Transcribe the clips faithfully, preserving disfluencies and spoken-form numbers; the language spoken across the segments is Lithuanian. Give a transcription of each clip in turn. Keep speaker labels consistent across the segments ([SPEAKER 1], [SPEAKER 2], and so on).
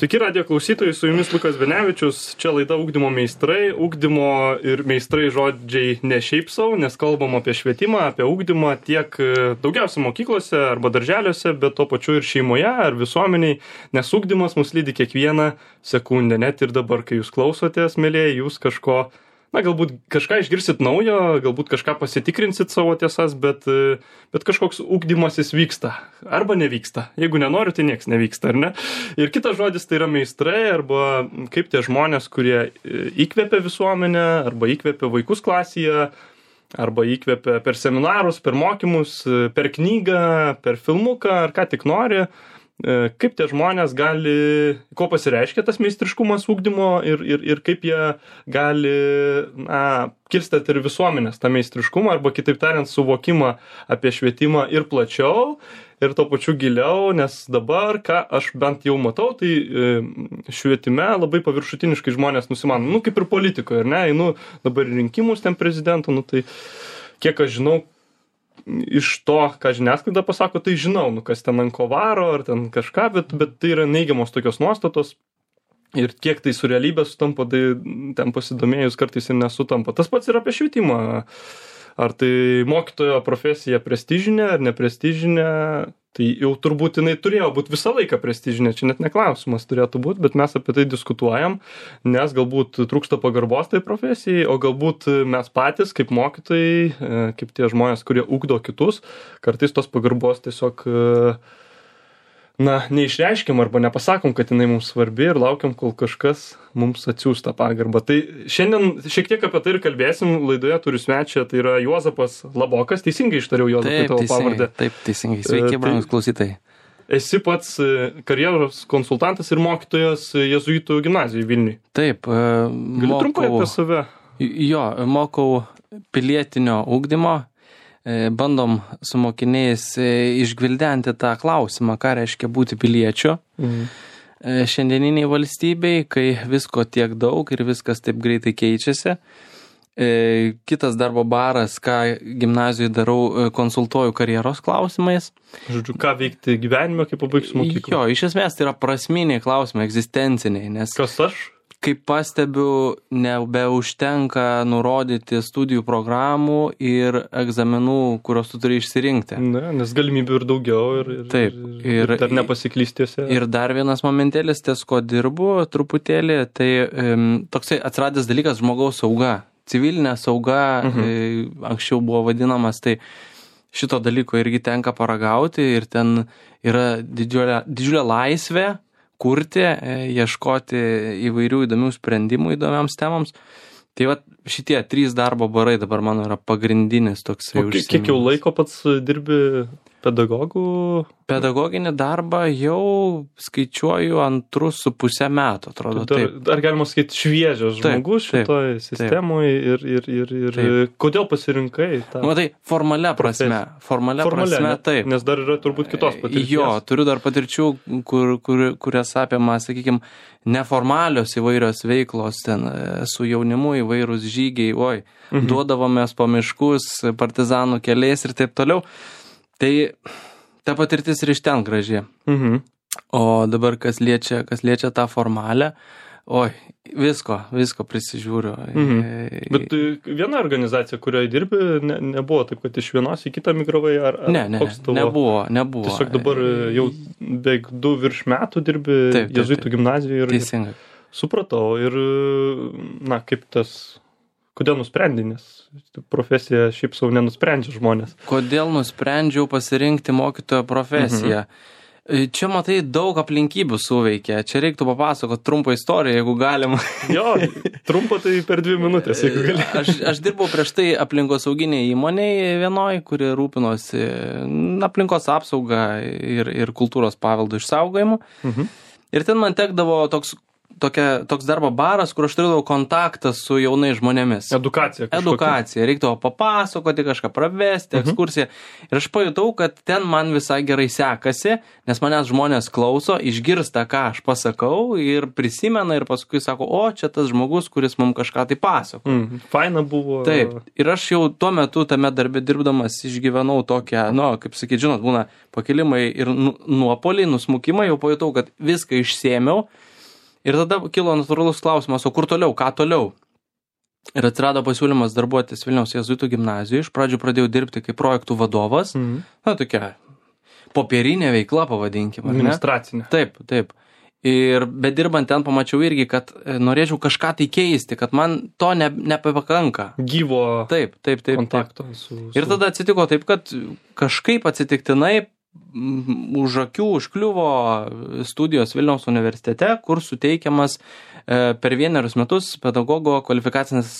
[SPEAKER 1] Sveiki, radijo klausytojai, su jumis Lukas Benevičius, čia laida Ugdymo meistrai. Ugdymo ir meistrai žodžiai ne šiaip savo, nes kalbam apie švietimą, apie ugdymą tiek daugiausia mokyklose arba darželiuose, bet to pačiu ir šeimoje ar visuomeniai, nes ugdymas mus lydi kiekvieną sekundę. Net ir dabar, kai jūs klausotės, mėlyje, jūs kažko, na, galbūt kažką išgirsit naujo, galbūt kažką pasitikrinsit savo tiesas, bet, bet kažkoks ugdymasis vyksta arba nevyksta. Jeigu nenori, tai nieks nevyksta, ar ne? Ir kitas žodis tai yra meistrai arba kaip tie žmonės, kurie įkvepia visuomenę arba įkvepia vaikus klasėje, arba įkvepia per seminarus, per mokymus, per knygą, per filmuką ar ką tik nori. Kaip tie žmonės gali, ko pasireiškia tas meistriškumas ugdymo ir, ir, ir kaip jie gali na, kilstėti ir visuomenės tą meistriškumą arba kitaip tariant suvokimą apie švietimą ir plačiau ir to pačiu giliau, nes dabar, ką aš bent jau matau, tai švietime labai paviršutiniškai žmonės nusimano, nu kaip ir politikoje, ar ne, einu dabar rinkimus ten prezidento, nu tai kiek aš žinau, iš to, ką žiniasklaida pasako, tai žinau, nu, kas ten ant ko varo, ar ten kažką, bet, bet tai yra neigiamos tokios nuostatos ir kiek tai su realybė sutampa, tai ten pasidomėjus kartais ir nesutampa. Tas pats yra apie švietimą. Ar tai mokytojo profesija prestižinė ar neprestižinė, tai jau turbūt jinai turėjo būti visą laiką prestižinė, čia net neklausimas turėtų būti, bet mes apie tai diskutuojam, nes galbūt trūksta pagarbos tai profesijai, o galbūt mes patys kaip mokytojai, kaip tie žmonės, kurie ugdo kitus, kartais tos pagarbos tiesiog na, neišreiškiam arba nepasakom, kad jinai mums svarbi ir laukiam, kol kažkas mums atsiųs tą pagarbą. Tai šiandien šiek tiek apie tai ir kalbėsim, laidoje turiu svečią, tai yra Juozapas Labokas, teisingai ištariau Juozapai tavo pavardę.
[SPEAKER 2] Taip, teisingai, sveiki, brangus klausytojai.
[SPEAKER 1] Esi pats karjeros konsultantas ir mokytojas Jėzuitų gimnazijoje Vilniuje.
[SPEAKER 2] Taip,
[SPEAKER 1] Gali
[SPEAKER 2] mokau,
[SPEAKER 1] trumpai apie save?
[SPEAKER 2] Jo, mokau pilietinio ugdymo. Bandom su mokiniais išgvildenti tą klausimą, ką reiškia būti piliečiu mhm. šiandieniniai valstybei, kai visko tiek daug ir viskas taip greitai keičiasi. Kitas darbo baras, ką gimnazijoje darau, konsultuoju karjeros klausimais.
[SPEAKER 1] Žodžiu, ką veikti gyvenime, kai pabaigsiu mokyklą?
[SPEAKER 2] Jo, iš esmės tai yra prasminiai klausimai, egzistenciniai. Nes
[SPEAKER 1] kas aš?
[SPEAKER 2] Kaip pastebiu, nebeužtenka nurodyti studijų programų ir egzaminų, kuriuos tu turi išsirinkti.
[SPEAKER 1] Na, nes galimybių ir daugiau ir, ir,
[SPEAKER 2] Taip, ir,
[SPEAKER 1] ir dar nepasiklystiuose.
[SPEAKER 2] Ir dar vienas momentėlis, ties ko dirbu truputėlį, tai um, toksai atsiradęs dalykas žmogaus sauga. Civilinė sauga, mhm. e, anksčiau buvo vadinamas, tai šito dalyko irgi tenka paragauti ir ten yra didžiulė, didžiulė laisvė kurti, ieškoti įvairių įdomių sprendimų įdomiams temams. Tai va šitie trys darbo barai dabar mano yra pagrindinis toksai užsiėmimas.
[SPEAKER 1] Kiek jau laiko pats dirbi pedagogų?
[SPEAKER 2] Pedagoginį darbą jau skaičiuoju antrus su pusę metų, atrodo.
[SPEAKER 1] Dar, dar galima sakyti šviežias žmogus šitoje sistemoje ir, ir, ir, ir taip. Kodėl pasirinkai tą?
[SPEAKER 2] Matai, formalia prasme. Formalia, formalia prasme,
[SPEAKER 1] ne,
[SPEAKER 2] taip.
[SPEAKER 1] Nes dar yra turbūt kitos patirties.
[SPEAKER 2] Jo, turiu dar patirčių, kur, kur, kurias apima, sakykime, neformalios įvairios veiklos, ten su jaunimu įvairūs žygiai, oi, mhm. duodavomės po miškus, partizanų keliais ir taip toliau. Tai ta patirtis ir iš ten graži.
[SPEAKER 1] Mhm.
[SPEAKER 2] O dabar kas liečia, kas liečia tą formalę, oi, visko, visko prisižiūriu.
[SPEAKER 1] Mhm. Bet viena organizacija, kurioje dirbi, ne, nebuvo taip, kad iš vienos į kitą migravai, ar, ar
[SPEAKER 2] ne, ne,
[SPEAKER 1] tavo...
[SPEAKER 2] nebuvo, nebuvo.
[SPEAKER 1] Tiesiog dabar jau beveik du virš metų dirbi Jėzuitų gimnazijoje. Ir...
[SPEAKER 2] Teisingai.
[SPEAKER 1] Supratau. Ir, na, kaip tas... Kodėl nusprendai, nes profesija šiaip savo nenusprendžia žmonės?
[SPEAKER 2] Kodėl nusprendžiau pasirinkti mokytojo profesiją? Mhm. Čia, matai, daug aplinkybių suveikia. Čia reiktų papasakoti trumpą istoriją, jeigu galim.
[SPEAKER 1] Jo, trumpa tai per dvi minutės, jeigu gali.
[SPEAKER 2] Aš, aš dirbau prieš tai aplinkosauginėje įmonėje vienoj, kuri rūpinosi aplinkos apsaugą ir, ir kultūros paveldo išsaugojimu. Mhm. Ir ten man tekdavo toks Tokia, toks darbo baras, kur aš turėjau kontaktą su jaunais žmonėmis.
[SPEAKER 1] Edukacija. Kažkokia.
[SPEAKER 2] Edukacija. Reikdavo papasakoti, kažką pravesti, ekskursiją. Uh-huh. Ir aš pajutau, kad ten man visai gerai sekasi, nes manęs žmonės klauso, išgirsta, ką aš pasakau ir prisimena ir paskui sako, o čia tas žmogus, kuris mums kažką tai pasako.
[SPEAKER 1] Mm, faina buvo.
[SPEAKER 2] Taip. Ir aš jau tuo metu tame darbe dirbdamas išgyvenau tokią, nu, kaip sakyt, žinot, būna pakilimai ir nuopoliai, nusmukimai, jau pajutau, kad viską išsėmiau. Ir tada kilo natūralus klausimas, o kur toliau, ką toliau? Ir atsirado pasiūlymas darbuotis Vilniaus jėzuitų gimnazijoje. Iš pradžių pradėjau dirbti kaip projektų vadovas. Mhm. Na, tokia popierinė veikla, pavadinkime.
[SPEAKER 1] Administracinė.
[SPEAKER 2] Taip, taip. Ir bedirbant ten pamačiau irgi, kad norėčiau kažką tai keisti, kad man to ne, nepakanka.
[SPEAKER 1] Gyvo
[SPEAKER 2] taip, taip, taip,
[SPEAKER 1] kontakto.
[SPEAKER 2] Taip.
[SPEAKER 1] Su, su...
[SPEAKER 2] Ir tada atsitiko taip, kad kažkaip atsitiktinai už akių užkliuvo studijos Vilniaus universitete, kur suteikiamas per vienerius metus pedagogo kvalifikacinis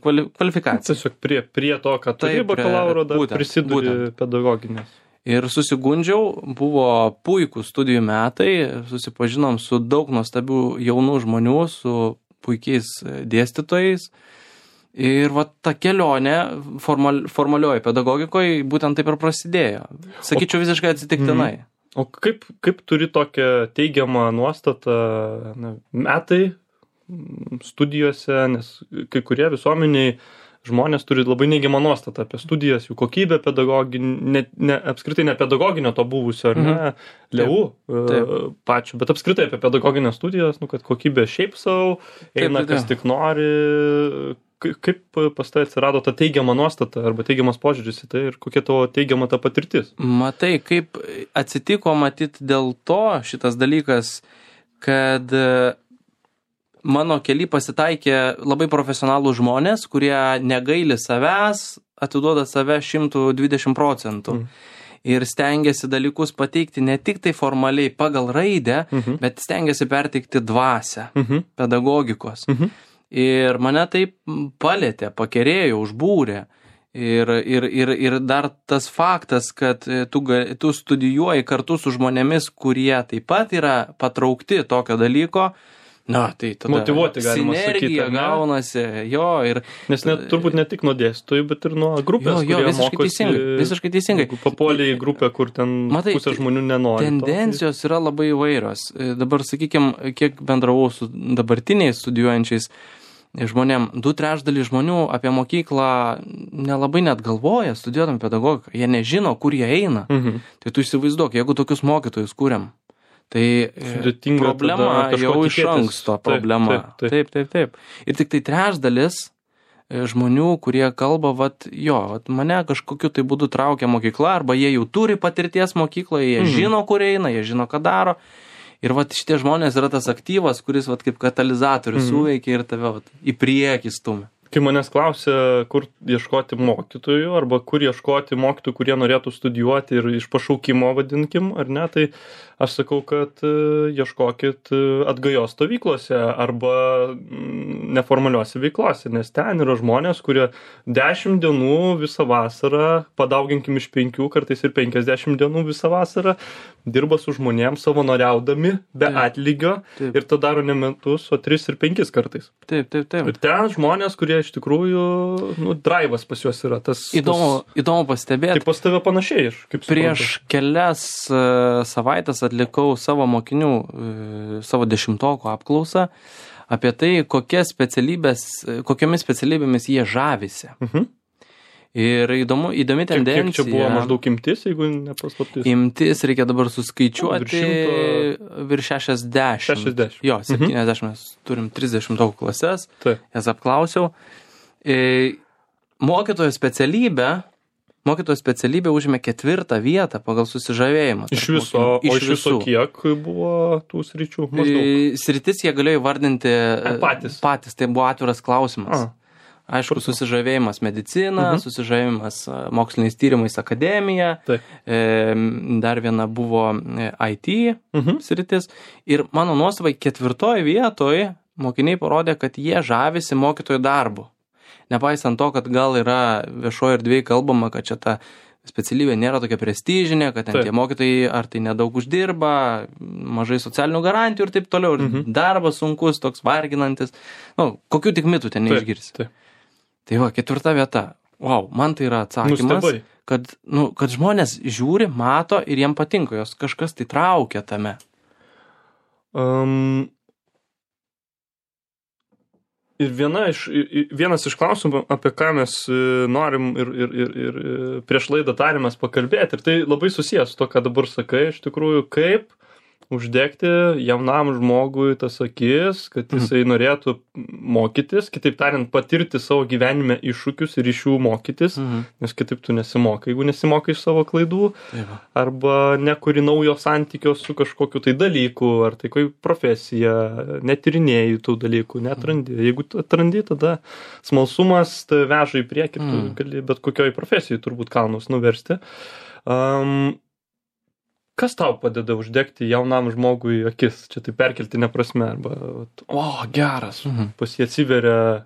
[SPEAKER 2] kvali, kvalifikacija.
[SPEAKER 1] Tiesiog prie, prie to, kad turi bakalauro, dar būtent, prisiduri būtent. Pedagoginės.
[SPEAKER 2] Ir susigundžiau, buvo puikūs studijų metai, susipažinom su daug nuostabių jaunų žmonių, su puikiais dėstytojais. Ir va ta kelionė formal, formalioji pedagogikoje būtent taip ir prasidėjo. Sakyčiau, o, visiškai atsitiktinai.
[SPEAKER 1] O kaip, kaip turi tokią teigiamą nuostatą na, metai studijose, nes kai kurie visuomeniai žmonės turi labai neigiamą nuostatą apie studijas, jų kokybę pedagoginį, ne, ne, apskritai ne pedagoginio to buvusio, ar ne, mhm. leu pačių, bet apskritai apie pedagoginės studijas, nu, kad kokybė šiaip savo, eina taip, taip, kas tik nori. Kaip pas tai atsirado ta teigiama nuostata arba teigiamas požiūris į tai ir kokia tavo teigiama ta patirtis?
[SPEAKER 2] Matai, kaip atsitiko matyt dėl to šitas dalykas, kad mano kely pasitaikė labai profesionalų žmonės, kurie negaili savęs, atiduoda save šimtu dvidešimt procentų. Mm. Ir stengiasi dalykus pateikti ne tik tai formaliai pagal raidę, mm-hmm. bet stengiasi perteikti dvasią, mm-hmm. pedagogikos. Mm-hmm. Ir mane taip palėtė, pakerėjo, užbūrė. Ir, ir, ir, ir dar tas faktas, kad tu, tu studijuoji kartu su žmonėmis, kurie taip pat yra patraukti tokio dalyko, na, tai tada
[SPEAKER 1] motyvuoti galima sakyti.
[SPEAKER 2] Sinergija gaunasi, jo, ir...
[SPEAKER 1] Nes net, turbūt ne tik nuo dėstytojų, bet ir nuo grupės,
[SPEAKER 2] jo, jo,
[SPEAKER 1] kurie
[SPEAKER 2] visiškai
[SPEAKER 1] mokosi.
[SPEAKER 2] Teisingai, visiškai teisingai.
[SPEAKER 1] Papuolė į grupę, kur ten matai, pusė žmonių nenori.
[SPEAKER 2] Tendencijos to, tai... yra labai įvairios. Dabar, sakykime, kiek bendravau su dabartiniais studijuojančiais žmonėm, du trečdalį žmonių apie mokyklą nelabai net galvoja, studijuodami pedagogiką. Jie nežino, kur jie eina. Mhm. Tai tu įsivaizduok, jeigu tokius mokytojus kūrėm, tai sudėtinga problema jau iš anksto problema. Taip taip. taip, taip, taip. Ir tik tai trečdalis žmonių, kurie kalba, vat, jo, vat, mane kažkokiu tai būdu traukia mokykla, arba jie jau turi patirties mokykloje, jie mhm. žino, kur eina, jie žino, ką daro. Ir vat šitie žmonės yra tas aktyvas, kuris vat kaip katalizatorius mhm. suveikia ir tave vat į priekį stumia.
[SPEAKER 1] Kai manęs klausia, kur ieškoti mokytojų, arba kur ieškoti mokytojų, kurie norėtų studijuoti ir iš pašaukimo vadinkim, ar ne, tai aš sakau, kad ieškokit atgajos stovyklose arba neformaliuose veiklose, nes ten yra žmonės, kurie dešimt dienų visą vasarą, padauginkim iš penkių, kartais ir penkiasdešimt dienų visą vasarą, dirba su žmonėms savanoriaudami be taip, atlygio taip. Ir to daro ne metus, o tris ir penkis kartais.
[SPEAKER 2] Taip, taip, taip.
[SPEAKER 1] Ir ten žmonės, kurie iš tikrųjų, nu, drive'as pas juos yra. Tas,
[SPEAKER 2] įdomu,
[SPEAKER 1] tas...
[SPEAKER 2] įdomu pastebėti.
[SPEAKER 1] Tai pas tave panašiai, kaip
[SPEAKER 2] prieš
[SPEAKER 1] suprantu.
[SPEAKER 2] Kelias uh, savaitės atlikau savo mokinių, uh, savo dešimtokų apklausą apie tai, kokie specialybės, kokiomis specialybėmis jie žavisi. Mhm. Ir įdomu, įdomi tendencija.
[SPEAKER 1] Kiek čia buvo maždaug imtis, jeigu nepaslaptis?
[SPEAKER 2] Imtis reikia dabar suskaičiuoti šimto... virš šešiasdešimt.
[SPEAKER 1] šešiasdešimt.
[SPEAKER 2] Jo, septyniasdešimt, mes turim trisdešimtokų klases,
[SPEAKER 1] taip.
[SPEAKER 2] Jas apklausiau. E, mokytojo specialybė, mokytojo specialybė užėmė ketvirtą vietą pagal susižavėjimą.
[SPEAKER 1] Iš viso, o iš, iš viso kiek buvo tų sričių?
[SPEAKER 2] Maždaug. Sritis jie galėjo įvardinti
[SPEAKER 1] A, patys.
[SPEAKER 2] patys, tai buvo atviras klausimas. A. Aišku, susižavėjimas medicina, uh-huh. susižavėjimas moksliniais tyrimais akademija, e, dar viena buvo I T uh-huh. sritis. Ir mano nuostabai ketvirtoje vietoje mokiniai parodė, kad jie žavisi mokytojų darbu. Nepaisant to, kad gal yra viešoje erdvėje kalbama, kad čia ta specialybė nėra tokia prestižinė, kad ten taip. Tie mokytojai ar tai nedaug uždirba, mažai socialinių garantijų ir taip toliau. Uh-huh. Darbas sunkus, toks varginantis. Nu, kokių tik mitų ten neišgirsi. Taip, taip. Tai va, ketvirta vieta. Wow, man tai yra atsakymas, kad, nu, kad žmonės žiūri, mato ir jiem patinka, jos kažkas tai traukia tame.
[SPEAKER 1] Um, ir viena iš, vienas iš klausimų, apie ką mes norim ir, ir, ir, ir prieš laidą tarėmės pakalbėti, ir tai labai susijęs su to, ką dabar sakai, iš tikrųjų, kaip uždegti jaunam žmogui tas akis, kad jisai norėtų mokytis, kitaip tariant, patirti savo gyvenime iššūkius ir iš jų mokytis,
[SPEAKER 2] Mhm.
[SPEAKER 1] nes kitaip tu nesimokai, jeigu nesimokai iš savo klaidų,
[SPEAKER 2] Taip.
[SPEAKER 1] arba nekuri naujo santykio su kažkokiu tai dalyku, ar tai kaip profesija, netyrinėjai tų dalykų, netrandi. Jeigu tu atrandi, tada smalsumas tai veža į priekį, tu
[SPEAKER 2] Mm.
[SPEAKER 1] gali bet kokioj profesijai turbūt kalnus nuversti. Um, Kas tau padeda uždegti jaunam žmogui akis? Čia tai perkeltinė prasme, arba, vat, o, geras,
[SPEAKER 2] Mhm.
[SPEAKER 1] pas jį atsiveria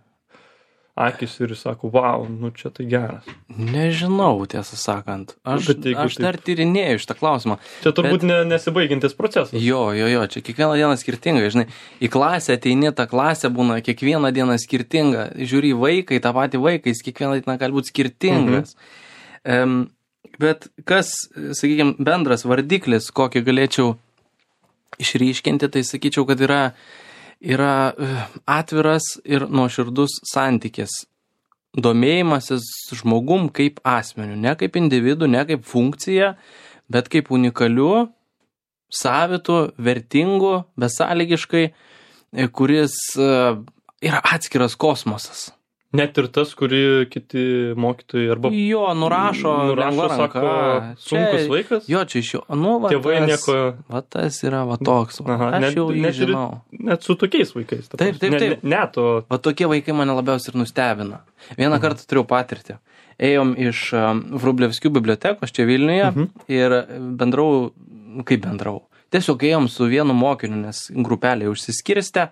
[SPEAKER 1] akis ir jis sako, wow, nu čia tai geras.
[SPEAKER 2] Nežinau, tiesą sakant. Aš,
[SPEAKER 1] Bet jeigu
[SPEAKER 2] aš
[SPEAKER 1] taip-
[SPEAKER 2] dar tyrinėju šitą klausimą.
[SPEAKER 1] Čia turbūt ne, nesibaigiantis procesas.
[SPEAKER 2] Jo, jo, jo, čia kiekvieną dieną skirtingai, žinai, į klasę ateini, ta klasė būna kiekvieną dieną skirtinga, žiūri į vaiką, į tą patį vaiką, jis kiekvieną dieną gali būti skirtingas. Mhm. Bet kas, sakykime, bendras vardiklis, kokį galėčiau išryškinti, tai sakyčiau, kad yra, yra eh, atviras ir nuoširdus santykis. Domėjimasis žmogum kaip asmeniu, ne kaip individu, ne kaip funkcija, bet kaip unikaliu, savitu, vertingu, besąlygiškai, e, kuris e, yra atskiras kosmosas.
[SPEAKER 1] Net ir tas, kurį kiti mokytojai arba
[SPEAKER 2] Jo, nurašo,
[SPEAKER 1] nurašo,
[SPEAKER 2] lengva
[SPEAKER 1] sako,
[SPEAKER 2] ranka.
[SPEAKER 1] sunkus
[SPEAKER 2] Čia-
[SPEAKER 1] vaikas.
[SPEAKER 2] Jo, čia iš jo, nu, va,
[SPEAKER 1] Tėvai
[SPEAKER 2] tas,
[SPEAKER 1] nieko,
[SPEAKER 2] va, tas yra, va, toks, va,
[SPEAKER 1] Aha,
[SPEAKER 2] aš
[SPEAKER 1] net-
[SPEAKER 2] jau jį
[SPEAKER 1] net ir-
[SPEAKER 2] žinau.
[SPEAKER 1] net su tokiais vaikais. ta
[SPEAKER 2] Taip,
[SPEAKER 1] prasme.
[SPEAKER 2] taip, taip.
[SPEAKER 1] Ne, ne, ne to.
[SPEAKER 2] Va, tokie vaikai mane labiausiai ir nustebina. Vieną kartą turėjau patirtį. Ėjom iš um, Vrublevskių bibliotekos čia Vilniuje
[SPEAKER 1] Mhm.
[SPEAKER 2] ir bendrau, kaip bendrau. Tiesiog ėjom su vienu mokiniu, nes grupelė užsiskirstė.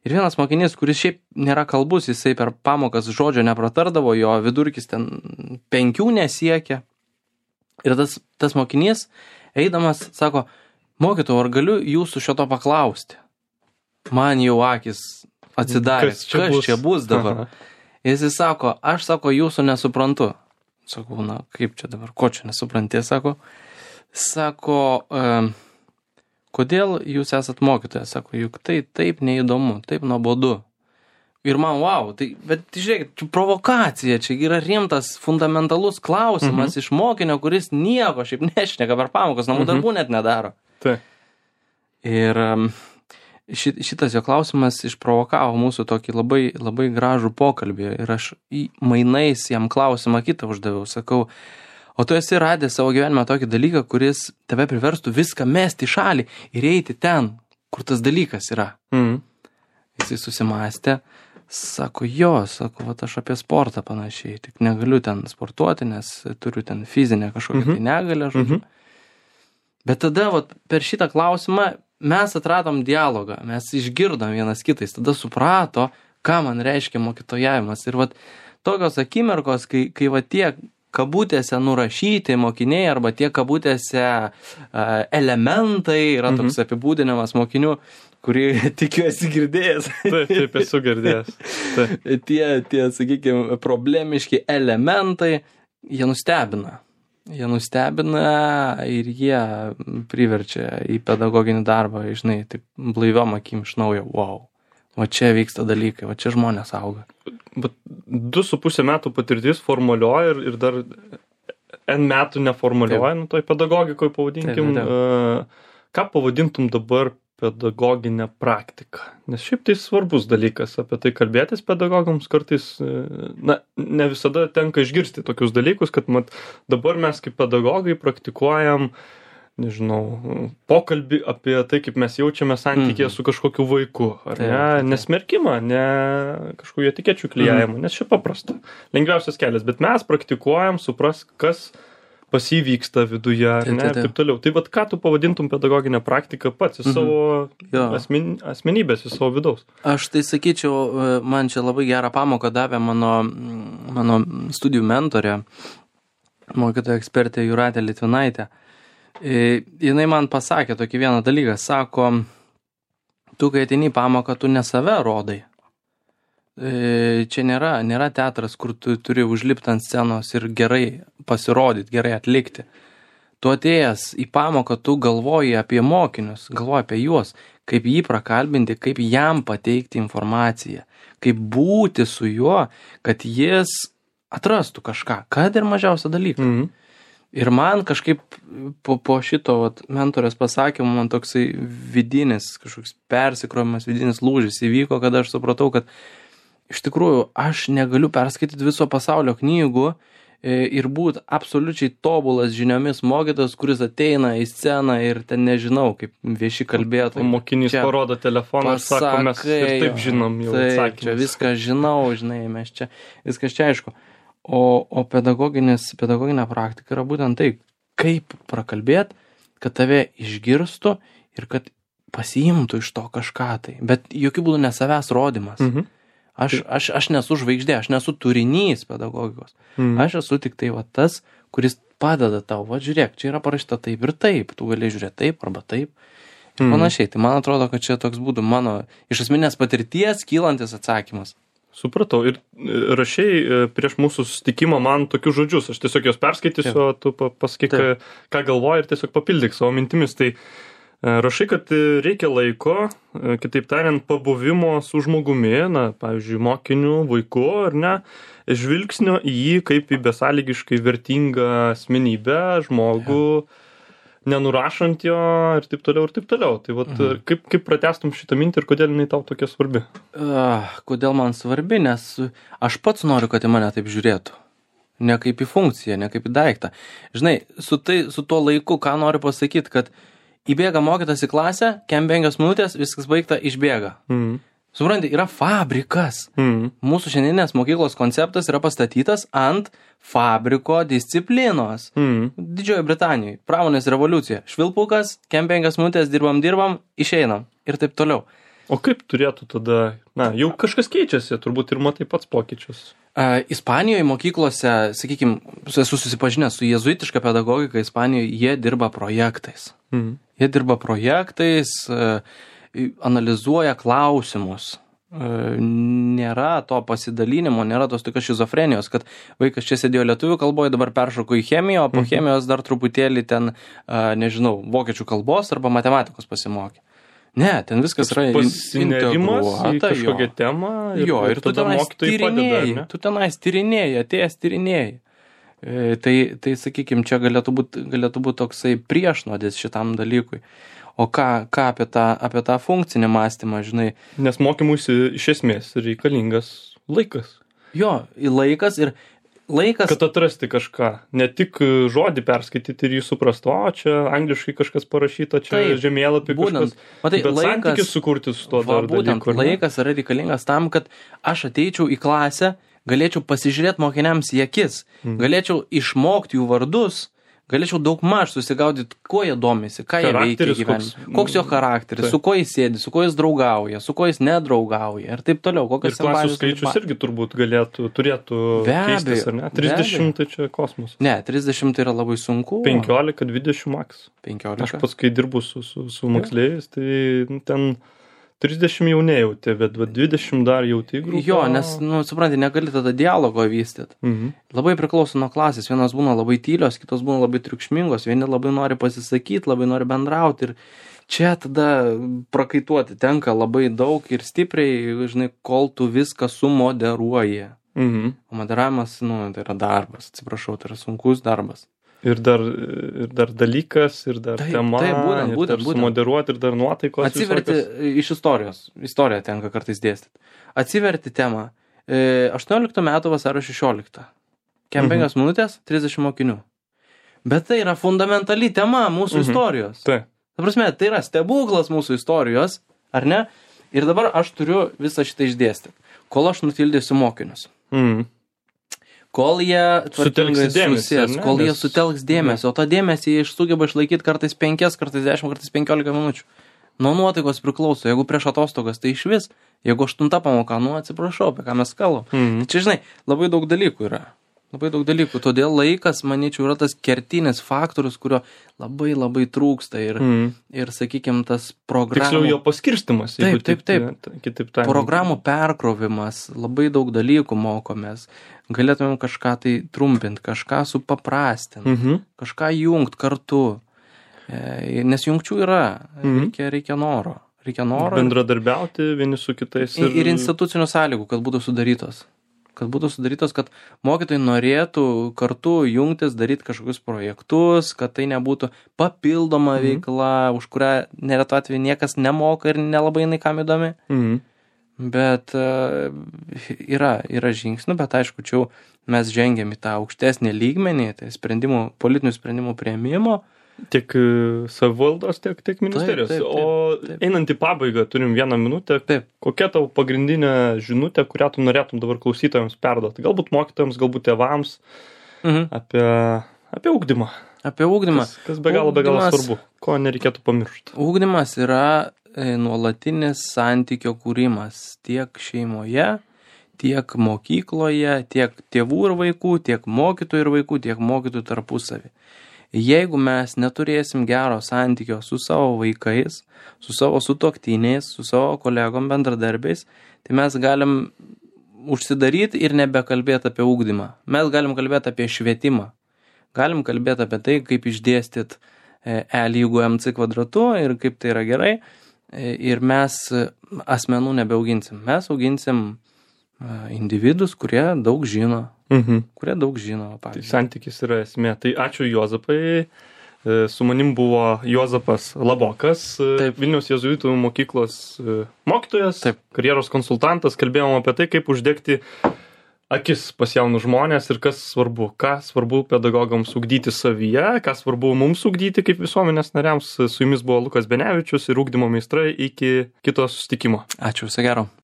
[SPEAKER 2] Ir vienas mokinys, kuris šiaip nėra kalbus, jisai per pamokas žodžio nepratardavo, jo vidurkis ten penkių nesiekia. Ir tas, tas mokinys, eidamas, sako, mokytojau, ar galiu jūsų šito paklausti? Man jau akis atsidarė,
[SPEAKER 1] Kas
[SPEAKER 2] kas
[SPEAKER 1] čia
[SPEAKER 2] čia,
[SPEAKER 1] bus?
[SPEAKER 2] kas čia bus dabar.
[SPEAKER 1] Aha.
[SPEAKER 2] Jis sako, aš sako, jūsų nesuprantu. Sakau, na, kaip čia dabar, ko čia nesupranti, sako. Sako, um, kodėl jūs esat mokytojas? Sako, juk tai taip neįdomu, taip nuobodu. Ir man, wow, tai, bet žiūrėkit, čia provokacija, čia yra rimtas, fundamentalus klausimas
[SPEAKER 1] Mhm.
[SPEAKER 2] iš mokinio, kuris nieko šiaip nešneka per pamokas, namų
[SPEAKER 1] Mhm.
[SPEAKER 2] darbų net nedaro.
[SPEAKER 1] Tai.
[SPEAKER 2] Ir um, ši- šitas jo klausimas išprovokavo mūsų tokį labai, labai gražų pokalbį. Ir aš į mainais jam klausimą kitą uždaviau. Sakau, o tu esi radęs savo gyvenime tokį dalyką, kuris tave priverstų viską mesti į šalį ir eiti ten, kur tas dalykas yra.
[SPEAKER 1] Mhm.
[SPEAKER 2] Jisai susimastė. Sako, jo, sako, vat aš apie sportą panašiai, tik negaliu ten sportuoti, nes turiu ten fizinę kažkokią
[SPEAKER 1] Mhm.
[SPEAKER 2] tai negalę, žodžiu.
[SPEAKER 1] Mhm.
[SPEAKER 2] Bet tada vat, per šitą klausimą mes atradom dialogą, mes išgirdom vienas kitais, tada suprato, ką man reiškia mokytojavimas. Ir vat, tokios akimirkos, kai, kai vat, tie kabutėse nurašyti mokiniai arba tie kabutėse uh, elementai, yra toks
[SPEAKER 1] Mhm.
[SPEAKER 2] apibūdinimas mokinių, kurį tikiuosi girdėjęs.
[SPEAKER 1] Taip, taip, esu girdėjęs. Taip.
[SPEAKER 2] tie, tie, sakykime, problemiški elementai, jie nustebina. Jie nustebina ir jie priverčia į pedagoginį darbą, žinai, taip blaiviom akim iš naujo, wow. O čia vyksta dalykai, o čia žmonės auga.
[SPEAKER 1] Bet du su pusė metų patirtis formalioji ir, ir dar N metų neformalioji, nu toj pedagogikoje pavadinkim.
[SPEAKER 2] Taip, taip.
[SPEAKER 1] Uh, ką pavadintum dabar pedagoginę praktiką? Nes šiaip tai svarbus dalykas apie tai kalbėtis pedagogams kartais, uh, na, ne visada tenka išgirsti tokius dalykus, kad mat, dabar mes kaip pedagogai praktikuojam, nežinau, pokalbį apie tai, kaip mes jaučiame santykėje
[SPEAKER 2] Mhm.
[SPEAKER 1] su kažkokiu vaiku, ar
[SPEAKER 2] Taip,
[SPEAKER 1] ne?
[SPEAKER 2] taip.
[SPEAKER 1] Nesmerkimą, ne kažkokių etikečių klijavimą, nes čia paprasta. Lengviausias kelias, bet mes praktikuojam, supras, kas pas jį vyksta viduje, ar
[SPEAKER 2] Taip,
[SPEAKER 1] ne,
[SPEAKER 2] taip,
[SPEAKER 1] ir
[SPEAKER 2] taip.
[SPEAKER 1] taip toliau. Tai vad, ką tu pavadintum pedagoginę praktiką pats, į
[SPEAKER 2] Mhm.
[SPEAKER 1] savo
[SPEAKER 2] Jo.
[SPEAKER 1] asmen, asmenybės, į savo vidaus?
[SPEAKER 2] Aš tai sakyčiau, man čia labai gerą pamoką davė mano, mano studijų mentorė, mokytoja ekspertė Jūratė Litvinaitė. E, jinai man pasakė tokį vieną dalyką, sako, tu kai ateini į pamoką, tu ne save rodai. E, čia nėra, nėra teatras, kur tu turi užlipti ant scenos ir gerai pasirodyti, gerai atlikti. Tu atėjęs į pamoką, tu galvoji apie mokinius, galvoji apie juos, kaip jį prakalbinti, kaip jam pateikti informaciją, kaip būti su juo, kad jis atrastų kažką, kad ir mažiausią dalyką.
[SPEAKER 1] Mhm.
[SPEAKER 2] Ir man kažkaip po, po šito vat, mentorės pasakymo man toksai vidinis, kažkoks persikrovimas, vidinis lūžis įvyko, kada aš supratau, kad iš tikrųjų aš negaliu perskaityti viso pasaulio knygų ir būti absoliučiai tobulas žiniomis mokytojas, kuris ateina į sceną ir ten nežinau, kaip vieši kalbėtojai.
[SPEAKER 1] Mokinys parodo telefoną ir sako, mes ir taip žinom jau atsakymus.
[SPEAKER 2] Čia viską žinau, žinai, mes čia, viskas čia aišku. O, o pedagoginis, pedagoginė praktika yra būtent tai, kaip prakalbėt, kad tave išgirstų ir kad pasiimtų iš to kažką tai. Bet jokių būdų ne savęs rodimas. Mhm. Aš, aš, aš nesu žvaigždė, aš nesu turinys pedagogikos. Mhm. Aš esu tik tai va tas, kuris padeda tau. Va žiūrėk, čia yra parašyta taip ir taip. Tu gali žiūrėti taip arba taip. Ir mhm. panašiai. Tai man atrodo, kad čia toks būtų mano iš asmeninės patirties kylantis atsakymas.
[SPEAKER 1] Supratau. Ir rašiai prieš mūsų susitikimą man tokius žodžius. Aš tiesiog jos perskaitysiu, o tu pasakyk, ką galvoji ir tiesiog papildyk savo mintimis. Tai rašai, kad reikia laiko, kitaip tariant, pabuvimo su žmogumi, na, pavyzdžiui, mokiniu, vaiku, ar ne, žvilgsnio į jį kaip į besąlygiškai vertingą asmenybę, žmogų, ja. Nenurašant jo ir taip toliau ir taip toliau. Tai vat, mhm. kaip, kaip pratęstum šitą mintį ir kodėl jinai tau tokia svarbi?
[SPEAKER 2] Uh, kodėl man svarbi? Nes aš pats noriu, kad į mane taip žiūrėtų. Ne kaip į funkciją, ne kaip į daiktą. Žinai, su, tai, su tuo laiku, ką noriu pasakyti, kad įbėga mokytas į klasę, kem penkios minutės, viskas baigta, išbėga. Mhm. Supranti, yra fabrikas. Mhm. Mūsų šiandieninės mokyklos konceptas yra pastatytas ant fabriko disciplinos. Mhm. Didžiojo Britanijoje. Pramonės revoliucija. Švilpukas, kem penkias minutės dirbam, dirbam, išeinam. Ir taip toliau.
[SPEAKER 1] O kaip turėtų tada, na, jau kažkas keičiasi, turbūt ir matai pats pokyčius.
[SPEAKER 2] Uh, Ispanijoje mokyklose, sakykime, esu susipažinęs su jezuitiška pedagogika, Ispanijoje jie dirba projektais. Mhm. Jie dirba projektais, uh, analizuoja klausimus. Nėra to pasidalinimo, nėra tos tokios šizofrenijos, kad vaikas čia sėdėjo lietuvių kalboje, dabar peršoko į chemiją, o po chemijos dar truputėlį ten, nežinau, vokiečių kalbos arba matematikos pasimokė. Ne, ten viskas yra
[SPEAKER 1] integruota į kažkokią temą ir,
[SPEAKER 2] jo, ir tu tenais tyrinėjai, tu tenais tyrinėjai, atėjęs tyrinėjai. Tai, tai sakykime, čia galėtų būti galėtų būt toksai priešnodis šitam dalykui. O ką, ką apie, tą, apie tą funkcinį mąstymą, žinai?
[SPEAKER 1] Nes mokymuisi iš esmės reikalingas laikas.
[SPEAKER 2] Jo, laikas ir laikas...
[SPEAKER 1] Kad atrasti kažką. Ne tik žodį perskaityti ir jį suprasti, o čia angliškai kažkas parašyta, čia taip, žemėlapį kažkas. Matai, bet laikas, santykis sukurti su to
[SPEAKER 2] va, dar būtent, dalyku. Laikas yra reikalingas tam, kad aš ateičiau į klasę, galėčiau pasižiūrėti mokiniams į akis, mhm. galėčiau išmokti jų vardus, galėčiau daug maž susigaudyti, kuo jie domisi, ką jie veikia gyvenime, koks, koks jo charakteris, tai. Su kuo jis sėdi, su kuo jis draugauja, su kuo jis nedraugauja ir taip toliau.
[SPEAKER 1] Ir klasių skaičius irgi turbūt galėtų, turėtų be keistis, ar ne? trisdešimt tai čia kosmosas.
[SPEAKER 2] Ne, trisdešimt tai yra labai sunku.
[SPEAKER 1] penkiolika dvidešimt maks.
[SPEAKER 2] penkiolika.
[SPEAKER 1] Aš pats, kai dirbu su, su, su moksleiviais, tai ten trisdešimt jau nejauti, bet dvidešimt dar jauti grupę.
[SPEAKER 2] Jo, nes, nu, supranti, negali tada dialogo vystyti. Mhm. Labai priklauso nuo klasės. Vienos būna labai tylios, kitos būna labai triukšmingos, vieni labai nori pasisakyti, labai nori bendrauti. Ir čia tada prakaituoti tenka labai daug ir stipriai, žinai, kol tu viską sumoderuoji. Mhm. O moderavimas, nu, tai yra darbas, atsiprašau, tai yra sunkus darbas.
[SPEAKER 1] Ir dar, ir dar dalykas, ir dar taip, tema,
[SPEAKER 2] taip, būtent,
[SPEAKER 1] ir
[SPEAKER 2] būtent,
[SPEAKER 1] dar sumoderuoti, ir dar nuotaikos.
[SPEAKER 2] Atsiverti visokios. Iš istorijos. Istoriją tenka kartais dėstyti. Atsiverti temą. aštuonioliktų metų vasario šešioliktą. Kem penkios mhm. minutės, trisdešimt mokinių. Bet tai yra fundamentali tema mūsų mhm. istorijos.
[SPEAKER 1] Taip.
[SPEAKER 2] Ta prasme, tai yra stebuklas mūsų istorijos, ar ne? Ir dabar aš turiu visą šitą išdėstyti. Kol aš nutildysiu mokinius. Mhm. Kol jie
[SPEAKER 1] sutelks dėmesį,
[SPEAKER 2] kol jie sutelks dėmesį, o tą dėmesį jie sugeba išlaikyti kartais penkias, kartais dešimt, kartais penkiolika minučių. Nuo nuotaikos priklauso, jeigu prieš atostogas, tai iš vis, jeigu aštunta pamoka, nu atsiprašau, apie ką mes kalbam. Mhm. Čia, žinai, labai daug dalykų yra. Labai daug dalykų. Todėl laikas, manyčiau, yra tas kertinis faktorius, kurio labai labai trūksta. Ir, mm. ir sakykime, tas programų...
[SPEAKER 1] Tiksliau jo paskirstimas.
[SPEAKER 2] Taip, taip, taip.
[SPEAKER 1] taip. Kitaip tariant.
[SPEAKER 2] Programų perkrovimas, labai daug dalykų mokomės. Galėtumėm kažką tai trumpinti, kažką supaprastinti, mm-hmm. kažką jungt kartu. E, nes jungčių yra. Mm-hmm. Reikia, reikia noro. Reikia noro.
[SPEAKER 1] Bendradarbiauti vieni su kitais.
[SPEAKER 2] Ir, ir institucinių sąlygų, kad būtų sudarytos. kad būtų sudarytos, kad mokytojai norėtų kartu jungtis, daryti kažkokius projektus, kad tai nebūtų papildoma
[SPEAKER 1] Mhm.
[SPEAKER 2] veikla, už kurią neretu atveju niekas nemoka ir nelabai jinai kam įdomi.
[SPEAKER 1] Mhm.
[SPEAKER 2] Bet uh, yra, yra žingsnių, bet aišku, čia jau mes žengiam į tą aukštesnį lygmenį, tai sprendimų, politinių sprendimų priėmimo.
[SPEAKER 1] Tiek e, savivaldos, tiek, tiek ministerijos.
[SPEAKER 2] Taip, taip, taip,
[SPEAKER 1] o
[SPEAKER 2] taip.
[SPEAKER 1] einant į pabaigą, turim vieną minutę.
[SPEAKER 2] Taip.
[SPEAKER 1] Kokia tavo pagrindinė žinutė, kurią tu norėtum dabar klausytojams perduoti? Galbūt mokytojams, galbūt tėvams
[SPEAKER 2] Mhm.
[SPEAKER 1] apie, apie ugdymą.
[SPEAKER 2] Apie ugdymą.
[SPEAKER 1] Kas, kas be galo, be galo
[SPEAKER 2] Ugdymas-
[SPEAKER 1] svarbu. Ko nereikėtų pamiršti.
[SPEAKER 2] Ugdymas yra e, nuolatinis santykio kūrimas tiek šeimoje, tiek mokykloje, tiek tėvų ir vaikų, tiek mokytojų ir vaikų, tiek mokytojų tarpusavį. Jeigu mes neturėsim gero santykio su savo vaikais, su savo sutuoktiniais, su savo kolegom bendradarbiais, tai mes galim užsidaryti ir nebekalbėti apie ugdymą. Mes galim kalbėti apie švietimą. Galim kalbėti apie tai, kaip išdėstyti E lygu M C kvadratu ir kaip tai yra gerai. E, Ir mes asmenų nebeauginsim. Mes auginsim e, individus, kurie daug žino.
[SPEAKER 1] Mhm.
[SPEAKER 2] Kurie daug žino,
[SPEAKER 1] Tai
[SPEAKER 2] pavyzdžiui.
[SPEAKER 1] santykis yra esmė. Tai ačiū Juozapai. E, Su manim buvo Juozapas Labokas, e,
[SPEAKER 2] Taip.
[SPEAKER 1] Vilniaus jėzuitų mokyklos e, mokytojas,
[SPEAKER 2] Taip.
[SPEAKER 1] karjeros konsultantas. Kalbėjom apie tai, kaip uždegti akis pas jaunus žmonės ir kas svarbu, ką svarbu pedagogams ugdyti savyje, ką svarbu mums ugdyti kaip visuomenės nariams. Su jumis buvo Lukas Benevičius ir ugdymo meistrai. Iki kito susitikimo.
[SPEAKER 2] Ačiū, viso gero.